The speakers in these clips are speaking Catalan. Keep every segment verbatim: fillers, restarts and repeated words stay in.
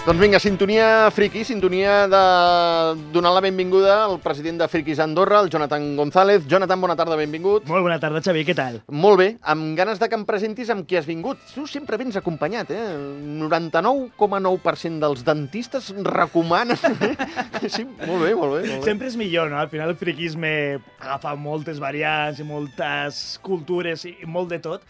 Doncs vinga, sintonia friki, sintonia de donar la benvinguda al president de Frikis Andorra, el Jonathan González. Jonathan, bona tarda, benvingut. Molt bona tarda, Xavi, què tal? Molt bé, amb ganes de que em presentis amb qui has vingut. Tu sempre vens acompanyat, eh? El noranta-nou coma nou per cent dels dentistes recomanen. Sí, molt bé, molt bé, molt bé. Sempre és millor, no? Al final el friquisme agafa moltes variants i moltes cultures i molt de tot.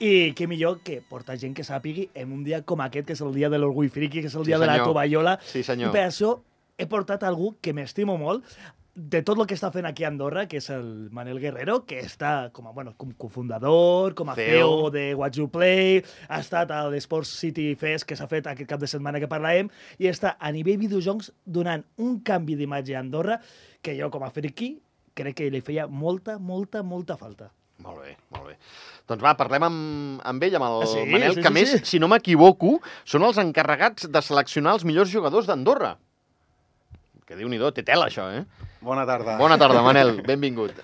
I què millor que portar gent que sàpigui en un dia com aquest, que és el dia de l'orgull friqui, que és el dia Sí, de la senyor. tovallola. Sí, senyor. I per això he portat algú que m'estimo molt, de tot el que està fent aquí a Andorra, que és el Manel Guerrero, que està com a, bueno, com cofundador, com a C C E O E O de What You Play, ha estat a l'Sports City Fest, que s'ha fet aquest cap de setmana que parlàvem, i està a nivell videojocs donant un canvi d'imatge a Andorra que jo, com a friqui, crec que li feia molta, molta, molta falta. Molt bé, molt bé. Doncs va, parlem amb, amb ell, amb el Ah, sí? Manel, Sí, que sí, més, sí. si no m'equivoco, són els encarregats de seleccionar els millors jugadors d'Andorra. Que Déu-n'hi-do, té tela, això, eh? Bona tarda. Bona tarda, Manel, benvingut.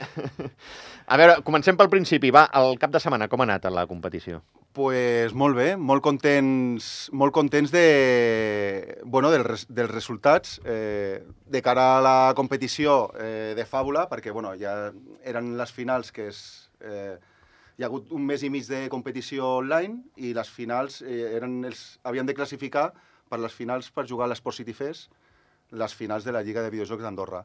A veure, comencem pel principi. Va, el cap de setmana, com ha anat la competició? Pues molt bé, molt contents, molt contents de, bueno, del res, dels resultats eh, de cara a la competició eh, de Fàbula, perquè bueno, ja eren les finals que és, eh, hi ha hagut un mes i mig de competició online i les finals eh, eren els, havien de classificar per les finals per jugar a l'Esport City Fest, les finals de la Lliga de Videojocs d'Andorra.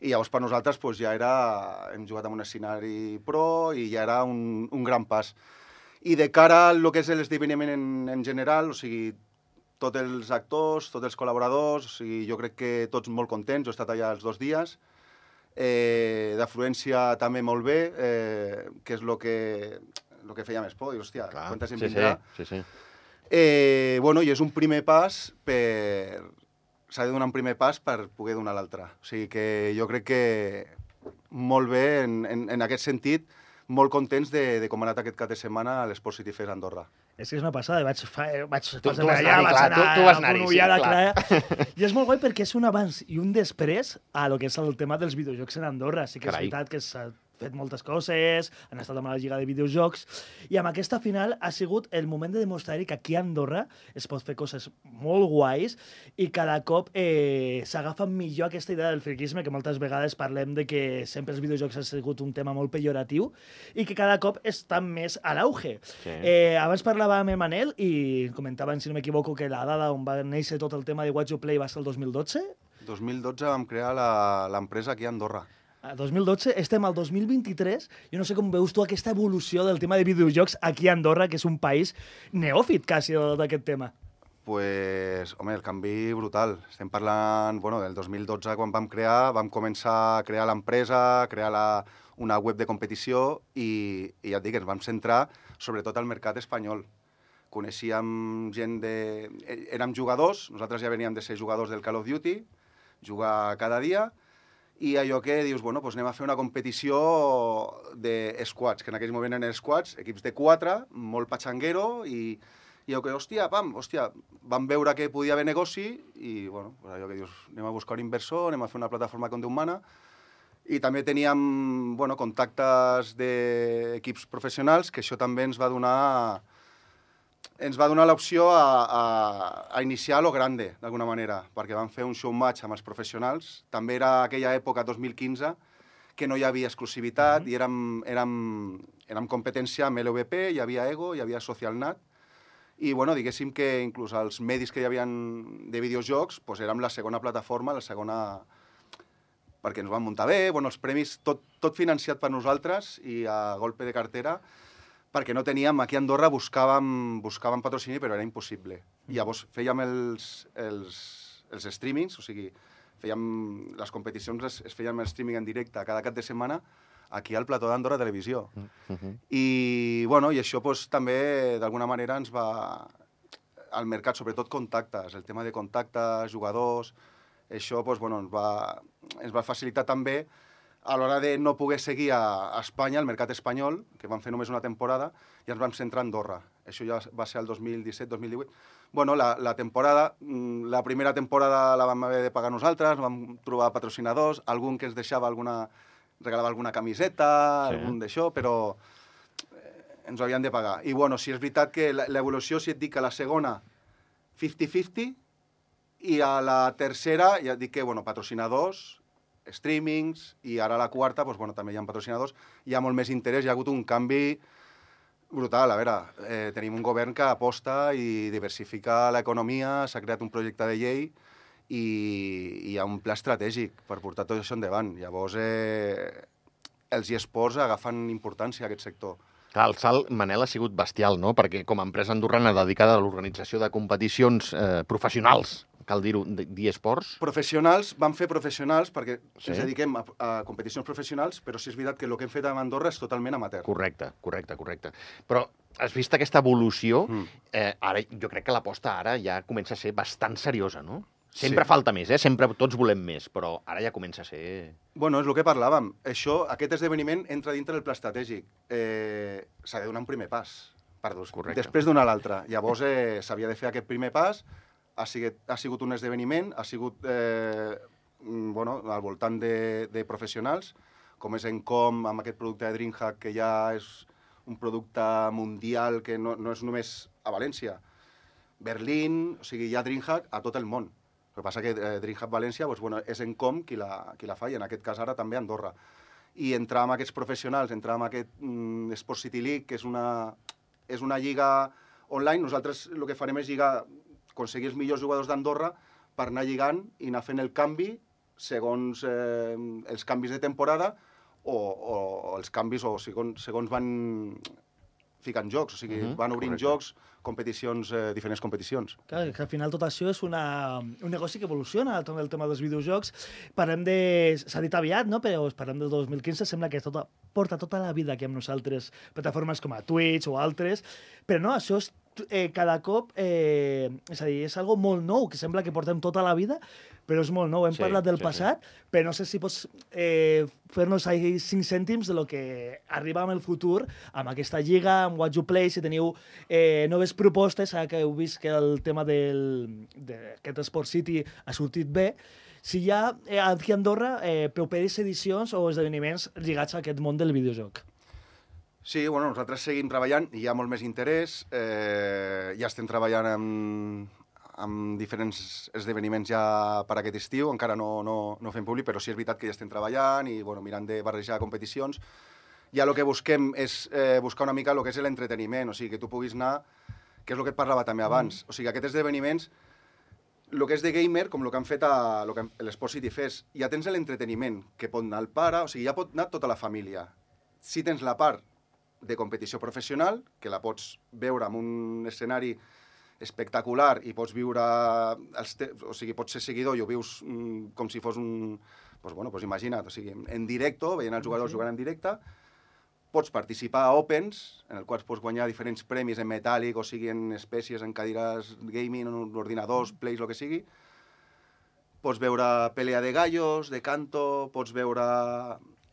I llavors per nosaltres pues, ja era, hem jugat en un escenari pro i ja era un, un gran pas. I de cara al que és l'esdeveniment en, en general, o sigui, tots els actors, tots els col·laboradors, o sigui, jo crec que tots molt contents, jo he estat allà els dos dies, eh, d'afluència també molt bé, eh, que és el que, lo que feia més por, i hòstia, Clar, quanta gent sí, vindrà. Sí, sí, sí. Eh, bueno, i és un primer pas per... S'ha de donar un primer pas per poder donar l'altre. O sigui que jo crec que molt bé en, en, en aquest sentit, molt contents de, de com ha anat aquest cap de setmana a l'Esport City Fest Andorra. És que és una passada, vaig, fa, vaig Tu- passar tu per vas allà, anar-hi, vaig clar, anar tu- tu vas anar-hi, a sí, la clar. Clara. I és molt guai perquè és un abans i un després a lo que és el tema dels videojocs en Andorra. Sí que Carai. és veritat que s'ha fet moltes coses, han estat amb la Lliga de Videojocs, i amb aquesta final ha sigut el moment de demostrar que aquí a Andorra es pot fer coses molt guais i cada cop eh, s'agafa millor aquesta idea del friquisme, que moltes vegades parlem de que sempre els videojocs ha sigut un tema molt pejoratiu i que cada cop està més a l'auge. Sí. Eh, abans parlava amb el Manel i comentaven, si no m'equivoco, que la dada on va néixer tot el tema de What You Play va ser el dos mil dotze. dos mil dotze vam crear la- l'empresa aquí a Andorra. A dos mil dotze, estem al dos mil vint-i-tres. Jo no sé com veus tu aquesta evolució del tema de videojocs aquí a Andorra, que és un país neòfit quasi d'aquest tema. Pues, home, el canvi brutal. Estem parlant, bueno, del dos mil dotze, quan vam crear, vam començar a crear l'empresa, a crear la, una web de competició i, i ja et dic, ens vam centrar sobretot al mercat espanyol. Coneixíem gent de... Érem jugadors, nosaltres ja veníem de ser jugadors del Call of Duty, jugar cada dia, i allò que dius, bueno, doncs anem a fer una competició de squads, que en aquell moment eren squads, equips de quatre, molt patxanguero, i, i allò que, hòstia, pam, hòstia, vam veure que podia haver negoci, i, bueno, pues allò que dius, anem a buscar un inversor, anem a fer una plataforma com Déu mana, i també teníem, bueno, contactes d'equips professionals, que això també ens va donar ens va donar l'opció a, a, a iniciar a lo grande, d'alguna manera, perquè vam fer un show match amb els professionals. També era aquella època, dos mil quinze, que no hi havia exclusivitat, mm -hmm. i érem, érem, érem competència amb L V P, hi havia Ego, hi havia SocialNat, i bueno, diguéssim que inclús els medis que hi havia de videojocs, doncs érem la segona plataforma, la segona... perquè ens van muntar bé, bueno, els premis, tot, tot financiat per nosaltres i a golpe de cartera, perquè no teníem, aquí a Andorra buscàvem, buscàvem patrocini, però era impossible. I llavors fèiem els, els, els streamings, o sigui, fèiem, les competicions es, es feien el streaming en directe cada cap de setmana aquí al plató d'Andorra Televisió. Uh-huh. I, bueno, i això pues, també, d'alguna manera, ens va... Al mercat, sobretot contactes, el tema de contactes, jugadors, això pues, bueno, ens, va, ens va facilitar també a l'hora de no poder seguir a, a Espanya, al mercat espanyol, que vam fer només una temporada, i ens vam centrar a Andorra. Això ja va ser el dos mil disset dos mil divuit. Bueno, la, la temporada, la primera temporada la vam haver de pagar nosaltres, vam trobar patrocinadors, algun que ens deixava alguna, regalava alguna camiseta, sí. algun d'això, però eh, ens ho havien de pagar. I bueno, si és veritat que l'evolució, si et dic que la segona, cinquanta cinquanta, I a la tercera, ja et dic que, bueno, patrocinadors, streamings, i ara a la quarta, doncs, bueno, també hi ha patrocinadors, hi ha molt més interès, hi ha hagut un canvi brutal. A veure, eh, tenim un govern que aposta i diversifica l'economia, s'ha creat un projecte de llei i, i hi ha un pla estratègic per portar tot això endavant. Llavors, eh, els eSports agafen importància a aquest sector. Clar, el salt, Manel, ha sigut bestial, no? Perquè com a empresa andorrana dedicada a l'organització de competicions eh, professionals, cal dir-ho, d'eSports... Professionals, vam fer professionals perquè Sí. ens dediquem a, a competicions professionals, però sí és veritat que el que hem fet a Andorra és totalment amateur. Correcte, correcte, correcte. Però has vist aquesta evolució? Mm. Eh, ara, jo crec que l'aposta ara ja comença a ser bastant seriosa, no? Sempre Sí. falta més, eh? Sempre tots volem més, però ara ja comença a ser... Bueno, és el que parlàvem. Això, aquest esdeveniment entra dintre del pla estratègic. Eh, S'ha de donar un primer pas, per dos, Correcte. després donar l'altre. Llavors eh, s'havia de fer aquest primer pas, ha sigut, ha sigut un esdeveniment, ha sigut eh, mm, bueno, al voltant de, de professionals, com és Encom, amb aquest producte de DreamHack, que ja és un producte mundial que no, no és només a València. Berlín, o sigui, hi ha DreamHack a tot el món. El que passa que eh, DreamHack València doncs, bueno, és Encom qui la, qui la fa, i en aquest cas ara també Andorra. I entrar amb aquests professionals, entrar amb aquest mm, Sport City League, que és una, és una lliga online, nosaltres el que farem és lligar, aconseguir els millors jugadors d'Andorra per anar lligant i anar fent el canvi segons eh, els canvis de temporada o, o, o els canvis o segons, segons van ficant jocs, o sigui, Mhm, van obrint correcte. jocs, competicions, eh, diferents competicions. Clar, que al final tot això és una, un negoci que evoluciona, tot el tema dels videojocs. Parlem de... S'ha dit aviat, no? Però parlem del dos mil quinze, sembla que tota, porta tota la vida aquí amb nosaltres, plataformes com a Twitch o altres, però no, això és eh, cada cop, eh, és a dir, és algo molt nou, que sembla que portem tota la vida, però és molt nou. Hem Sí, parlat del sí, passat, però no sé si pots eh, fer-nos ahí cinc cèntims de lo que arriba amb el futur, amb aquesta lliga, amb What You Play, si teniu eh, noves propostes, ara que heu vist que el tema del- d'aquest Sport City ha sortit bé, si hi ha eh, aquí a Andorra eh, properes edicions o esdeveniments lligats a aquest món del videojoc. Sí, bueno, nosaltres seguim treballant, hi ha molt més interès, eh, ja estem treballant amb, amb diferents esdeveniments ja per aquest estiu, encara no, no, no fem públic, però sí és veritat que ja estem treballant i bueno, mirant de barrejar competicions. Ja el que busquem és eh, buscar una mica el que és l'entreteniment, o sigui, que tu puguis anar, que és el que et parlava també abans, o sigui, aquests esdeveniments, el que és de gamer, com el que han fet a lo que l'Esport City Fest, ja tens l'entreteniment, que pot anar el pare, o sigui, ja pot anar tota la família. Si tens la part de competició professional, que la pots veure en un escenari espectacular i pots viure, els te... o sigui, pots ser seguidor i ho vius mm, com si fos un... Pues, bueno, pues imagina't, o sigui, en directo, veient els jugadors Sí. jugant en directe, pots participar a Opens, en el qual pots guanyar diferents premis en metàl·lic, o sigui, en espècies, en cadires gaming, en ordinadors, plays, el que sigui. Pots veure pelea de gallos, de canto, pots veure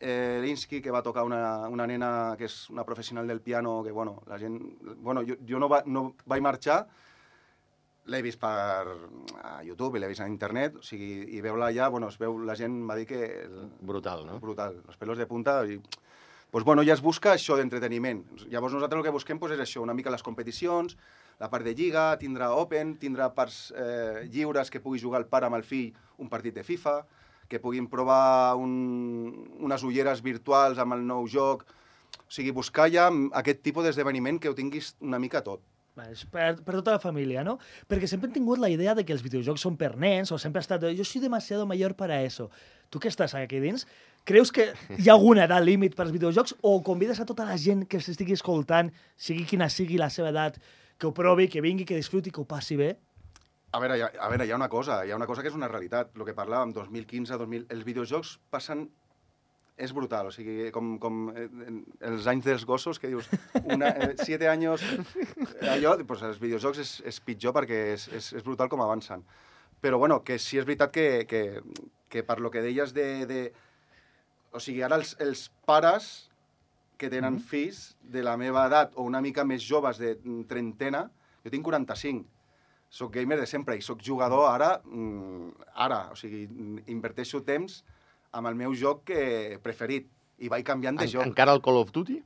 eh, Linsky, que va tocar una, una nena que és una professional del piano, que, bueno, la gent... Bueno, jo, jo no, va, no vaig marxar, l'he vist per a YouTube i l'he vist a internet, o sigui, i veure-la allà, bueno, es veu, la gent m'ha dit que... El, Brutal, no? brutal, los pelos de punta, i... Pues, bueno, ja es busca això d'entreteniment. Llavors nosaltres el que busquem pues, és això, una mica les competicions, la part de lliga, tindrà Open, tindrà parts eh, lliures que pugui jugar el pare amb el fill un partit de FIFA, que puguin provar un, unes ulleres virtuals amb el nou joc. O sigui, buscar ja aquest tipus d'esdeveniment que ho tinguis una mica tot. Vale, és per, per tota la família, no? Perquè sempre hem tingut la idea de que els videojocs són per nens, o sempre ha estat, jo soy demasiado mayor para eso. Tu que estàs aquí dins, creus que hi ha alguna edat límit per als videojocs o convides a tota la gent que s'estigui escoltant, sigui quina sigui la seva edat, que ho provi, que vingui, que disfruti, que ho passi bé? A veure, hi ha, a veure, hi ha una cosa, hi ha una cosa que és una realitat. El que parlàvem, dos mil quinze, dos mil... Els videojocs passen... És brutal, o sigui, com, com eh, els anys dels gossos, que dius, una, eh, siete anys, allò, doncs els videojocs és, és pitjor perquè és, és, és brutal com avancen. Però, bueno, que sí és veritat que, que, que per lo que deies de... de o sigui, ara els, els pares que tenen mm-hmm. fills de la meva edat o una mica més joves de trentena, jo tinc quaranta-cinc, soc gamer de sempre i soc jugador ara, ara, o sigui, inverteixo temps amb el meu joc que preferit i vaig canviant de En, joc. encara el Call of Duty?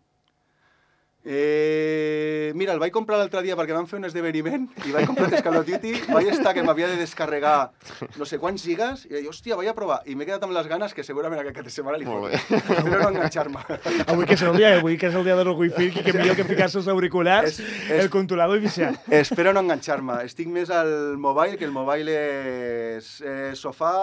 Eh, mira, el vaig comprar l'altre dia perquè vam fer un esdeveniment i vaig comprar el Call of Duty, vaig estar que m'havia de descarregar no sé quants gigas i vaig, hòstia, vaig a provar. I m'he quedat amb les ganes que segurament aquest cap de setmana li foto. Espero no enganxar-me. Avui que és el dia, avui que és el dia de l'orgull fill, que millor que ficar-se els auriculars, És- és- el controlador i viciar. Espero no enganxar-me. Estic més al mobile, que el mobile és eh, sofà,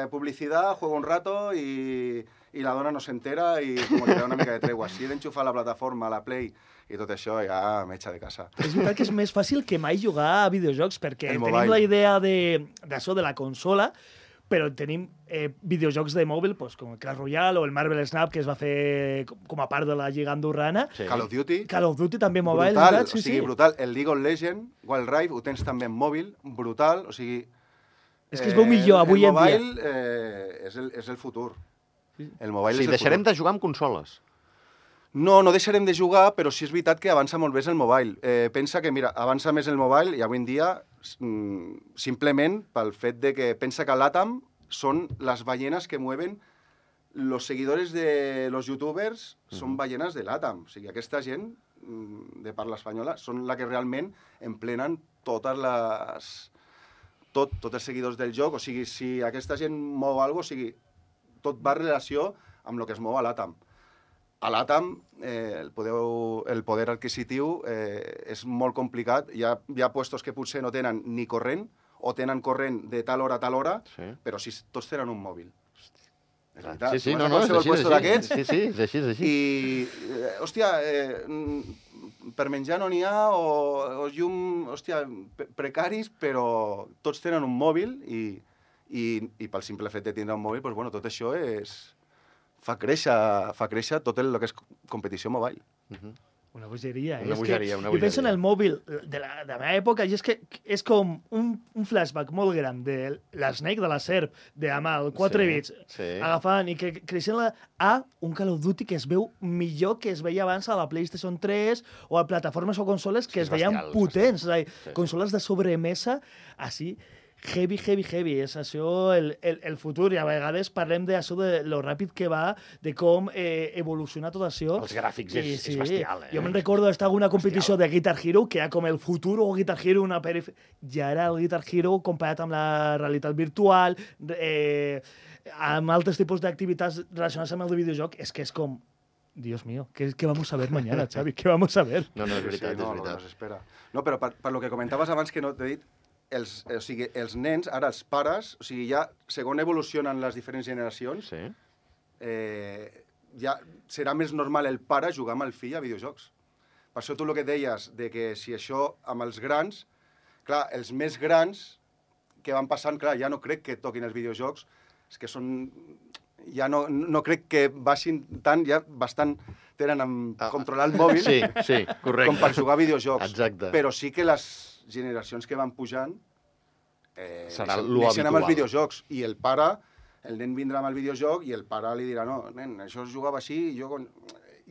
eh, publicitat, juego un rato i, i la dona no s'entera i com que li da una mica de tregua. Si he d'enxufar la plataforma, la Play i tot això, ja m'echa de casa. És veritat que és més fàcil que mai jugar a videojocs, perquè El tenim mobile. la idea de- d'això de, de la consola, però tenim eh, videojocs de mòbil, pues, com el Clash Royale o el Marvel Snap, que es va fer com- com a part de la Lliga Andorrana. Sí. Call of Duty, Call of Duty també mobile, brutal, veritat? Sí, o sigui, sí. brutal. El League of Legends, Wild Rift, ho tens també en mòbil, brutal, o sigui... És que es veu millor avui el en dia. El mobile eh, és, el, és el futur. El mobile Sí, és el deixarem futur. de jugar amb consoles. No, no deixarem de jugar, però sí és veritat que avança molt més el mobile. Eh, pensa que, mira, avança més el mobile i avui en dia, mm, simplement pel fet de que pensa que l'Atam són les ballenes que mueven los seguidores de los youtubers són ballenes de l'Atam. O sigui, aquesta gent mm, de parla espanyola són la que realment emplenen totes les... Tot, tots els seguidors del joc. O sigui, si aquesta gent mou alguna cosa, o sigui, tot va en relació amb el que es mou a l'Atam. A l'Atam, eh, el, podeu, el poder adquisitiu eh, és molt complicat. Hi ha, hi ha puestos que potser no tenen ni corrent, o tenen corrent de tal hora a tal hora, Sí. però si tots tenen un mòbil. És Clar. veritat. Sí, sí, Tu vas no, a no, és qualsevol així, és puesto així. d'aquests Sí, sí, és així, és així. i, eh, hòstia, eh, mm, per menjar no n'hi ha, o, o llum, hòstia, pe- precaris, però tots tenen un mòbil i, i, i pel simple fet de tindre un mòbil, doncs, bueno, tot això és... fa créixer, fa créixer tot el, el que és competició mobile. Mhm. Una bogeria. Una és bogeria, que una jo penso en bogeria. el mòbil de la, de la meva època i és que és com un, un flashback molt gran de l'Snake, de la serp, d'Amal, quatre Sí, bits, sí. agafant i que creixent la, a un Call of Duty que es veu millor que es veia abans a la PlayStation tres o a plataformes o consoles que Sí, es és veien bestial, és potents. És a dir, Sí, sí. consoles de sobremesa, així, heavy, heavy, heavy. És això el, el, el futur. I a vegades parlem d'això de lo ràpid que va, de com eh, evoluciona tot això. Els gràfics és, I és bestial, eh? Jo me'n recordo d'estar en una competició de Guitar Hero, que era com el futur o Guitar Hero, una perif... Ja era el Guitar Hero comparat amb la realitat virtual, eh, amb altres tipus d'activitats relacionades amb el de videojoc. És que és com... Dios mío, ¿qué, ¿qué vamos a ver mañana, Xavi? ¿Qué vamos a ver? No, no, és veritat, no, és no, veritat. no s'espera. No, però per, per lo que comentaves abans que no t'he dit, els, o sigui, els nens, ara els pares, o sigui, ja, segons evolucionen les diferents generacions, Sí. eh, ja serà més normal el pare jugar amb el fill a videojocs. Per això tu el que deies, de que si això amb els grans, clar, els més grans que van passant, clar, ja no crec que toquin els videojocs, és que són... Ja no, no crec que baixin tant, ja bastant tenen amb Ah, controlar el mòbil Sí, sí, correcte. com per jugar a videojocs. Exacte. Però sí que les generacions que van pujant eh, Serà neixen- lo neixen amb els habitual. videojocs. I el pare, el nen vindrà amb el videojoc i el pare li dirà, no, nen, això es jugava així i jo... Con...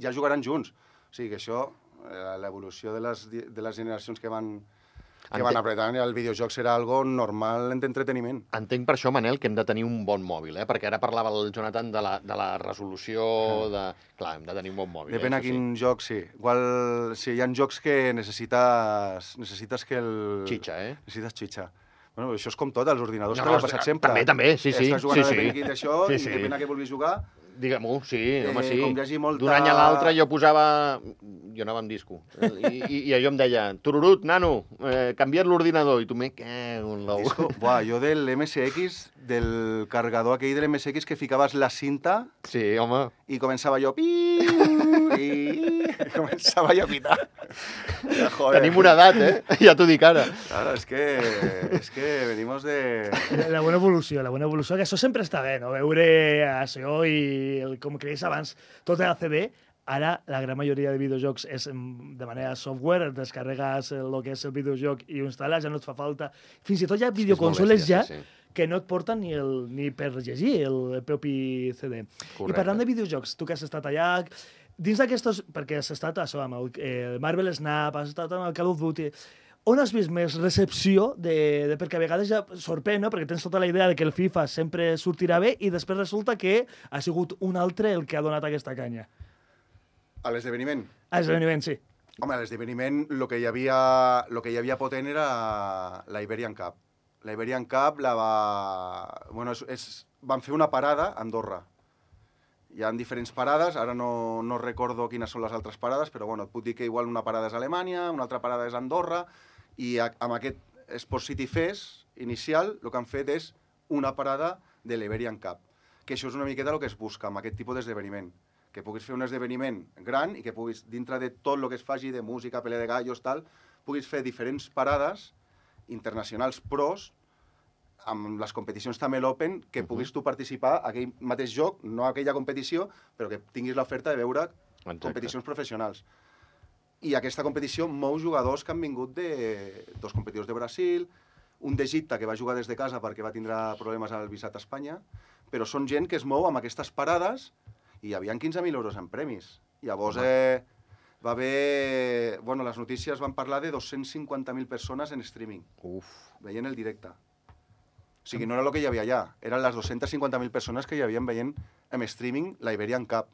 ja jugaran junts. O sigui que això, eh, l'evolució de, les, di- de les generacions que van, que Ente- van apretant, el videojoc serà algo normal d'entreteniment. Entenc per això, Manel, que hem de tenir un bon mòbil, eh? Perquè ara parlava el Jonathan de la, de la resolució, de... Clar, hem de tenir un bon mòbil. Depèn eh? a Això quin joc, sí. Igual, sí, hi ha jocs que necessites, necessites que el... Xitxa, eh? Necessites xitxa. Bueno, això és com tot, als ordinadors No, no, no, t'ha passat sempre. també, també, sí, sí, Estàs jugant sí, a sí. depèn d'això Sí, i sí. depèn a què vulguis jugar. Digue-m'ho, sí, home, Eh, sí. com hi hagi molta- D'un any a l'altre jo posava... Jo anava amb disco. I, i, i allò em deia, tururut, nano, eh, canvia't l'ordinador. I tu me cago en l'ou. Disco. Buah, jo del M S X, del carregador aquell de l'M S X que ficaves la cinta Sí, home. i començava jo... Piu, i començava jo a pitar. Ja, joder. Tenim una edat, eh? Ja t'ho dic ara. Claro, és que, és que venimos de... La bona evolució, la bona evolució, que això sempre està bé, no? Veure això i, el, com creix abans, tot era C D, ara la gran majoria de videojocs és mm, de manera software, descarregues el que és el videojoc i ho instal·les, ja no et fa falta. Fins i tot hi ha videoconsoles bèstia, ja sí, sí. que no et porten ni, el, ni per llegir el, el propi C D. Correcte. I parlant de videojocs, tu que has estat allà, dins d'aquestos... Perquè has estat això, amb el, eh, el Marvel Snap, has estat amb el Call of Duty... On has vist més recepció? De, de, perquè a vegades ja sorprèn, no? Perquè tens tota la idea de que el FIFA sempre sortirà bé i després resulta que ha sigut un altre el que ha donat aquesta canya. A l'esdeveniment? A l'esdeveniment, sí. Home, a l'esdeveniment el que, hi havia, lo que hi havia potent era la Iberian Cup. La Iberian Cup la va... Bueno, és, és... van fer una parada a Andorra. Hi ha diferents parades, ara no, no recordo quines són les altres parades, però bueno, et puc dir que igual una parada és Alemanya, una altra parada és Andorra, i a, amb aquest Sport City Fest inicial el que han fet és una parada de l'Iberian Cup, que això és una miqueta el que es busca amb aquest tipus d'esdeveniment, que puguis fer un esdeveniment gran i que puguis, dintre de tot el que es faci de música, pelea de gallos, tal, puguis fer diferents parades internacionals pros amb les competicions també l'Open, que Uh-huh. puguis tu participar a aquell mateix joc, no a aquella competició, però que tinguis l'oferta de veure Exacte. competicions professionals. I aquesta competició mou jugadors que han vingut de dos competidors de Brasil, un d'Egipte que va jugar des de casa perquè va tindre problemes al visat a Espanya, però són gent que es mou amb aquestes parades i hi havia quinze mil euros en premis. Llavors eh, va haver... Bueno, les notícies van parlar de dos-cents cinquanta mil persones en streaming, Uf. veient el directe. O sigui, no era el que hi havia allà, eren les dos-cents cinquanta mil persones que hi havien veient en streaming la Iberian Cup,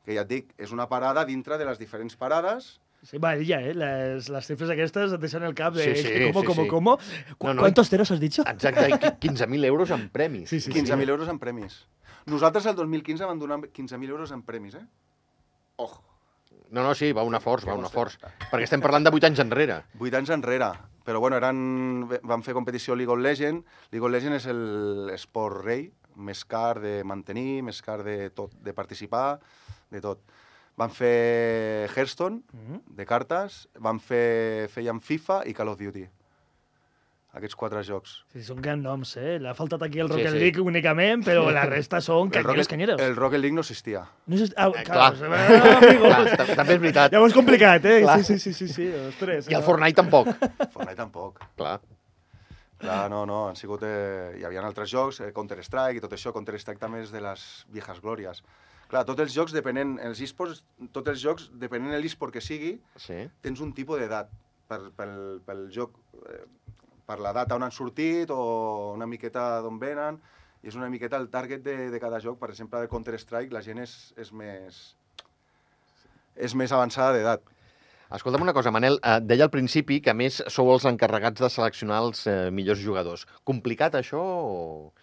que ja et dic, és una parada dintre de les diferents parades. Sí, va, ya, ¿eh? Las, las cifras aquestes et deixen el cap de... Sí, sí, ¿Cómo, sí, cómo, sí. cómo? ¿Cu No, no, ¿Cuántos ceros has dicho? Exacte, i qui- quinze mil euros en premis. Sí, sí, quinze mil euros en premis. Nosaltres el dos mil quinze vam donar quinze mil euros en premis, eh? Ojo, No, no, sí, va una forç, va Que una vols forç. Perquè estem parlant de vuit anys enrere. vuit anys enrere. Però bueno, eren, van fer competició League of Legends. League of Legends és l'esport rei, més car de mantenir, més car de tot, de participar, de tot. Van fer Hearthstone, Mhm. de cartes, van fer, feien FIFA i Call of Duty. Aquests quatre jocs. Sí, són grans noms, eh? L'ha faltat aquí el Sí, Rocket sí. League únicament, però la resta són El canyeros, Rocket, canyeros. el Rocket League no existia. No sé... Ah, Eh, clar, clar. ah, amigo. Clar, ta- també és veritat. Ja ho és complicat, eh? Clar. Sí, sí, sí, sí, sí, ostres. I el Fortnite tampoc. Fortnite tampoc. Clar. Clar, no, no, han sigut... Eh, hi havia altres jocs, eh, Counter-Strike i tot això. Counter-Strike també és de les viejas glòries. Clar, tots els jocs depenent... Els esports, tots els jocs, depenent de l'esport que sigui, Sí. tens un tipus d'edat per, pel, pel joc, eh, per l'edat on han sortit o una miqueta d'on venen, i és una miqueta el target de, de cada joc. Per exemple, el Counter-Strike la gent és, és més... és més avançada d'edat. Escolta'm una cosa, Manel, eh, deia al principi que a més sou els encarregats de seleccionar els eh, millors jugadors. Complicat això o...?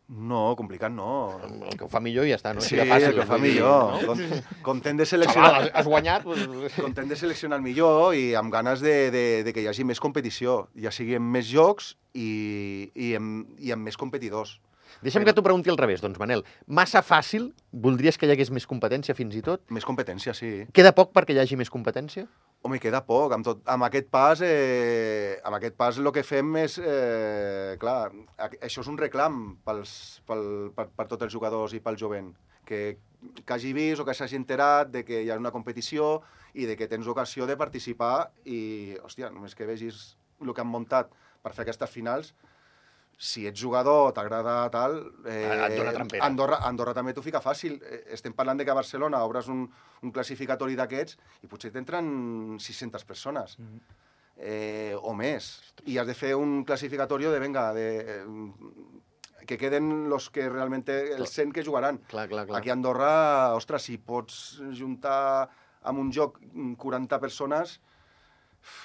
No, complicat no. El que ho fa millor i ja està, no? Sí, Així de fàcil, el que fa vull dir, millor. no? Com, content de Xaval, seleccionar... has- has guanyat? Doncs... Content de seleccionar el millor i amb ganes de, de, de que hi hagi més competició, ja sigui amb més jocs i, i, amb, i amb més competidors. Deixa'm que t'ho pregunti al revés, doncs, Manel. Massa fàcil? Voldries que hi hagués més competència fins i tot? Més competència, sí. Queda poc perquè hi hagi més competència? Home, queda poc. Amb, tot, amb aquest pas, eh, amb aquest pas el que fem és... Eh, clar, a- això és un reclam pels, pel, per, per tots els jugadors i pel jovent. Que, que hagi vist o que s'hagi enterat de que hi ha una competició i de que tens ocasió de participar i, hòstia, només que vegis el que han muntat per fer aquestes finals, si ets jugador, t'agrada tal... Eh, Et dona trampera. Andorra, Andorra també t'ho fica fàcil. Eh, Estem parlant de que a Barcelona obres un, un classificatori d'aquests i potser t'entren sis-centes persones. Mhm. Eh, o més. I has de fer un classificatori de, venga, de, eh, que queden los que realment els cent que jugaran. Clar, clar, clar. Aquí a Andorra, ostres, si pots juntar amb un joc quaranta persones,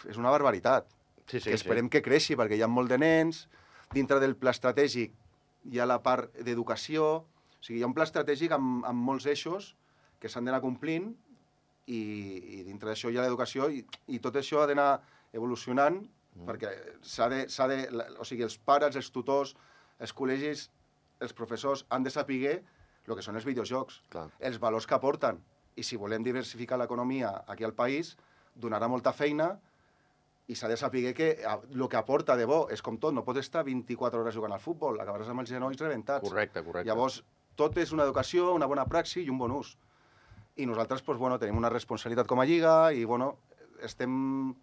és una barbaritat. Sí, sí, que esperem que creixi, perquè hi ha molt de nens, dintre del pla estratègic hi ha la part d'educació, o sigui, hi ha un pla estratègic amb, amb molts eixos que s'han d'anar complint i, i dintre d'això hi ha l'educació i, i tot això ha d'anar evolucionant mm. perquè s'ha de, s'ha de, la- o sigui, els pares, els tutors, els col·legis, els professors han de saber el que són els videojocs, Clar. els valors que aporten. I si volem diversificar l'economia aquí al país, donarà molta feina i s'ha de saber que el que aporta de bo és com tot, no pots estar vint-i-quatre hores jugant al futbol, acabaràs amb els genolls rebentats. Correcte, correcte. Llavors, tot és una educació, una bona praxi i un bon ús. I nosaltres doncs, bueno, tenim una responsabilitat com a Lliga i bueno, estem,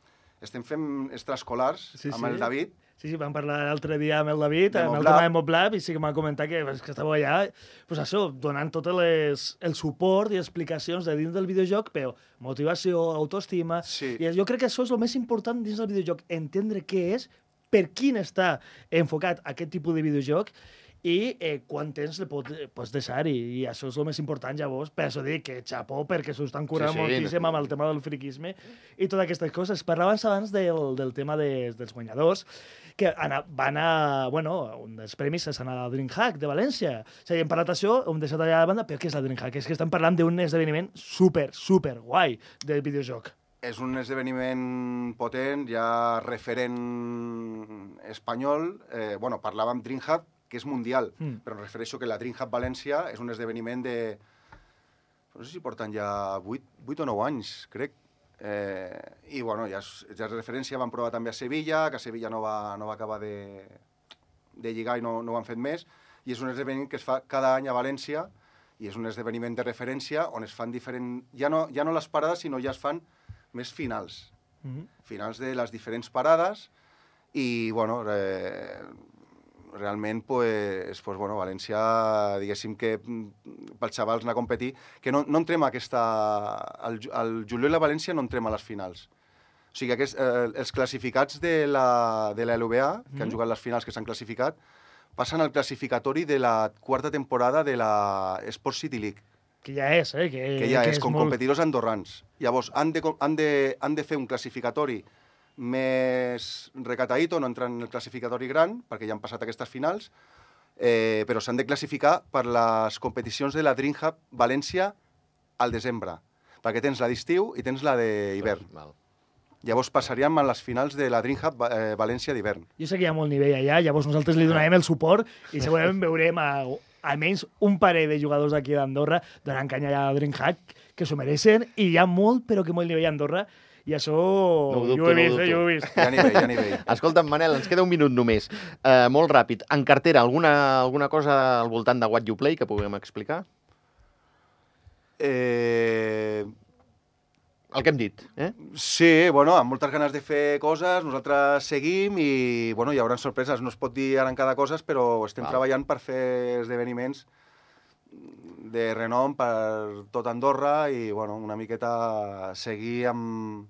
estem fent extraescolars Sí, amb sí. el David. Sí, sí, vam parlar l'altre dia amb el David, De amb el Moblab. tema de Moblab, i sí que m'ha comentat que, pues, que estava allà, pues això, donant tot les, el suport i explicacions de dins del videojoc, però motivació, autoestima... Sí. I jo crec que això és el més important dins del videojoc, entendre què és, per quin està enfocat aquest tipus de videojoc, i eh, quant temps el pot, pots deixar, i, i això és el més important, llavors. Per això dic que xapó, perquè s'ho estan curant Sí, sí, moltíssim no. amb el tema del friquisme i totes aquestes coses. Parlaves abans del, del tema de, dels guanyadors, que ana, van a... Bueno, un dels premis és anar a la DreamHack de València. O sigui, hem parlat d'això, ho hem deixat allà a la banda, però què és la DreamHack? És que estan parlant d'un esdeveniment super, super guai del videojoc. És un esdeveniment potent, ja referent espanyol. Eh, bueno, parlàvem DreamHack, que és mundial, Mm. però em refereixo que la DreamHack València és un esdeveniment de... No sé si porten ja vuit, vuit o nou anys, crec. Eh, I, bueno, ja és, ja és referència, van provar també a Sevilla, que a Sevilla no va, no va acabar de, de lligar i no, no ho han fet més, i és un esdeveniment que es fa cada any a València, i és un esdeveniment de referència on es fan diferents... Ja no, ja no les parades, sinó ja es fan més finals. Mm-hmm. Finals de les diferents parades, i, bueno, eh, realment, pues, pues, bueno, València, diguéssim que mm, pels xavals anar a competir, que no, no entrem a aquesta... Al, al juliol a València no entrem a les finals. O sigui, aquest, eh, els classificats de la, de la L V A, que han jugat les finals, que s'han classificat, passen al classificatori de la quarta temporada de la Sport City League, Que ja és, eh? Que, que ja que és, com molt... competidors andorrans. Llavors, han de, han de, han de fer un classificatori més recataïto, no entrar en el classificatori gran, perquè ja han passat aquestes finals, eh, però s'han de classificar per les competicions de la DreamHack València al desembre, perquè tens la d'estiu i tens la d'hivern. Val. Llavors passaríem a les finals de la DreamHack eh, València d'hivern. Jo sé que hi ha molt nivell allà, llavors nosaltres li donarem el suport i segurament veurem a, almenys un parell de jugadors d'aquí d'Andorra donant canya allà a DreamHack, que s'ho mereixen, i hi ha molt, però que molt nivell a Andorra, i això ho dubto, jo ho he no ho vist, eh, dubto. jo ho he vist. Hi ha nivell, hi ha nivell. Escolta'm, Manel, ens queda un minut només. Uh, molt ràpid. En cartera, alguna, alguna cosa al voltant de What You Play que puguem explicar? Eh... El que hem dit, eh? Sí, bueno, amb moltes ganes de fer coses, nosaltres seguim i, bueno, hi haurà sorpreses. No es pot dir ara en cada cosa, però estem Val. treballant per fer esdeveniments de renom per tot Andorra i, bueno, una miqueta seguir amb,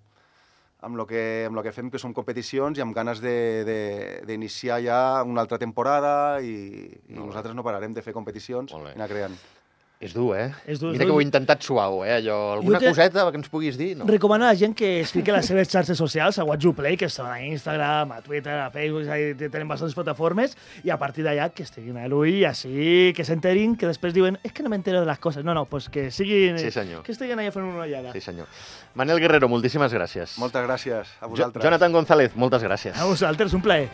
amb lo que, amb lo que fem, que són competicions, i amb ganes de- de- d'iniciar ja una altra temporada i, i Molt bé. nosaltres no pararem de fer competicions Molt bé. i anar creant. És dur, eh? És dur, és Mira que dur. ho he intentat suau, eh? Allò, alguna te- coseta que ens puguis dir? No. Recomano a la gent que es fiqui a les seves xarxes socials, a What You Play, que estan a Instagram, a Twitter, a Facebook, ahí tenen bastantes plataformes, i a partir d'allà que estiguin a l'ull i així, que s'enterin, que després diuen és que no m'entero de les coses. No, no, pues que siguin... Sí, senyor. Que estiguin allà fent una ullada. Sí, senyor. Manel Guerrero, moltíssimes gràcies. Moltes gràcies a Jo- vosaltres. Jonathan González, moltes gràcies. A vosaltres, un plaer.